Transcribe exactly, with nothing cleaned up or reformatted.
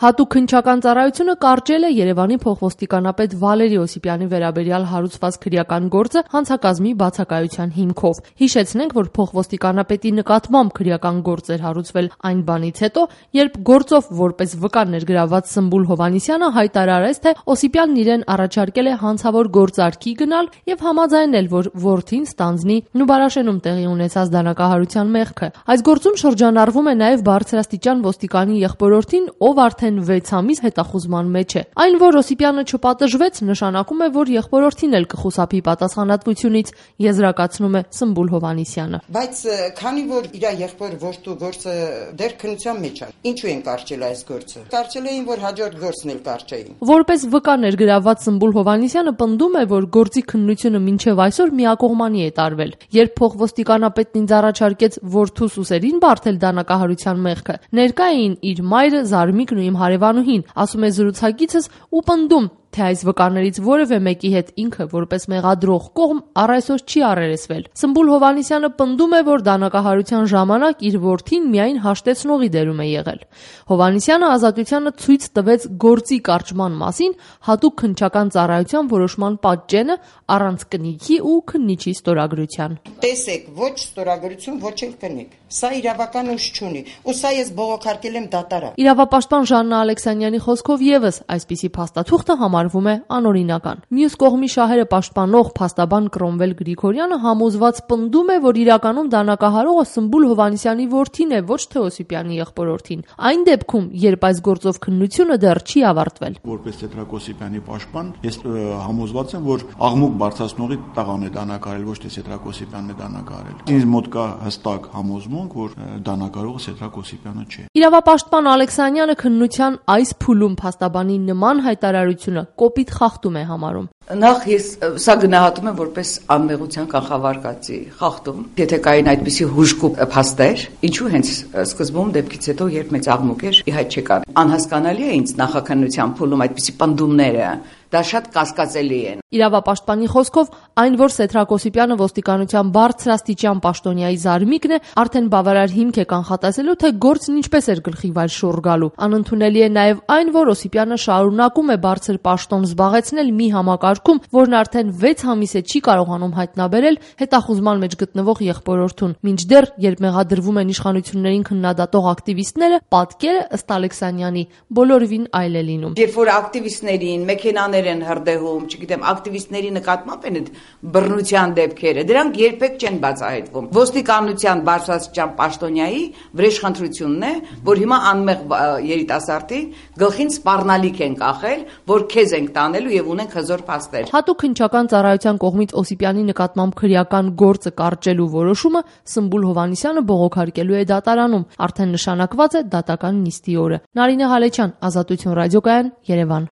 Հատուկ քննչական ծառայությունը կարճել է Երևանի փոխոստիկանապետ Վալերի Օսիպյանի վերաբերյալ հարուցված քրեական գործը հանցակազմի բացակայության հիմքով։ Հիշեցնենք, որ փոխոստիկանապետի նկատմամբ քրեական գործ էր հարուցվել այն բանից հետո, երբ գործով որպես վկա ներգրավված Սմբուլ Հովհաննիսյանը հայտարարեց, թե Օսիպյանն իրեն առաջարկել է հանցավոր գործարքի գնալ եւ համաձայնել, որ որդին ստանձնի Նուբարաշենում տեղի ունեցած դանակահարության մեղքը։ Այս գործում շրջանառվում է նաեւ բարձրաստիճան ոստիկանի եղբորորդին, ով արդեն վեց ամիս հետախուզման մեջ է։ Այն, որ Օսիպյանը չպատժվեց, նշանակում է, որ եղբորորդին էլ կխուսափի պատասխանատվությունից, եզրակացնում է Սմբուլ Հովհաննիսյանը։ Բայց քանի որ իր եղբոր որդու գործը դեռ քննության մեջ է, ինչու են կարճել այս գործը։ Կարճել էին, որ հաջորդ գործն էլ կարճեին։ Որպես վկա ներգրավված Սմբուլ Հովհաննիսյանը պնդում է, որ գործի քննությունը մինչև այսօր միակողմանի է տարվել։ Երբ փոխոստիկանապետն ինձ առաջարկեց որդուս ուսերին բարթել դանակահարության մեղքը, ներկա էին իր մայրը, Զարմիկն ու իմ հարևանուհին, ասում է զրուցակիցս ու պնդում, թե այս վկաներից որևէ մեկի հետ ինքը որպես մեղադրող կողմ առ այսօր չի առերեսվել։ Սմբուլ Հովհաննիսյանը պնդում է, որ դանակահարության ժամանակ իր որդին միայն հաշտեցնողի դերում է եղել։ Հովհաննիսյանը ազատությանը ցույց տվեց գործի կարճման մասին հատուկ քննչական ծառայության որոշման պատճենը առանց կնիքի ու քննիչի ստորագրության։ Տեսեք, ոչ ստորագրություն, ոչ էլ կնիկ։ Սա իրավական ուժ չունի, ու սա ես բողոքարկել եմ դատարան։ Իրավապաշտպան Ժաննա Ալեքսանյանի խոսքով եւս այսպիսի փաստաթուղթը համարվում է անօրինական։ Մյուս կողմի շահերը պաշտպանող փաստաբան Կրոմվել Գրիգորյանը համոզված պնդում է, որ իրականում դանակահարողը Սմբուլ Հովհաննիսյանի որդին է, ոչ թե Օսիպյանի եղբորորդին։ Այն դեպքում, երբ այս գործով քննությունը դեռ չի ավարտվել։ Որպես Սեդրակ Օսիպյանի պաշտպան, ես համոզված եմ, որ աղմուկ բարձրացնողի տղան է դանակահարել, ոչ թե Սեդրակ Օսիպյանն է դանակահարել։ Ինձ մոտ կա հստակ համոզմունք, որ դանակահարողը Սեդրակ Օսիպյանը չէ։ Իրավապաշտպան Ալեքսանյանը քննության այս փուլում փաստաբանի նման հայտարարությունը կոպիտ խախտում է համարում։ Նախ ես սա գնահատում եմ որպես անմեղության կանխավարկածի խախտում։ Եթե կային այդպիսի հուժկու փաստեր, ինչու հենց սկզբում դեպքից հետո երբ մեծ աղմուկ էր, իհայտ չկան։ Անհասկանալի է ինձ նախաքննության փուլում այդպիսի պնդումները, դա շատ կասկածելի են։ Իրավապաշտպանի խոսքով, այն, որ Սեդրակ Օսիպյանը ոստիկանության բարձրաստիճան պաշտոնյայի Զարմիկն է, արդեն բավարար հիմք է կանխատեսելու, թե գործն ինչպես էր գլխի վայր շուռ գալու։ Անընդունելի է նաև այն, որ Օսիպյանը շարունակում է բարձր պաշտոն զբաղեցնել մի համակարգում, որն արդեն վեց ամիս է չի կարողանում հայտնաբերել հետախուզման մեջ գտնվող եղբորորդուն։ Մինչդեռ, երբ մեղադրվում են իշխանություններին քննադատող ակտիվիստները, պատկերը ըստ Ալեքսանյանի բոլորովին այլ է լինում։ Երբ որ ակտիվիստներին մեքենաներ են հրդեհում, չգիտեմ, ակտիվիստների նկատմամբ են այդ բռնության դեպքերը, դրանք երբեք չեն բացահայտվում։ Ոստիկանության բարձրաստիճան պաշտոնյայի վրեժխնդրությունն է, որ հիմա անմեղ երիտասարդի գլխին սպառնալիք են կախել, որ քեզ ենք տանելու եւ ունենք հզոր փաստեր։ Հատուկ քննչական ծառայության կողմից Օսիպյանի նկատմամբ քրեական գործը կարճելու որոշումը Սմբուլ Հովհաննիսյանը բողոքարկելու է դատարանում, արդեն նշանակված է դատական նիստի օրը։ Նարինե Հալեչյան, Ազատություն ռադիոկայան, Երևան։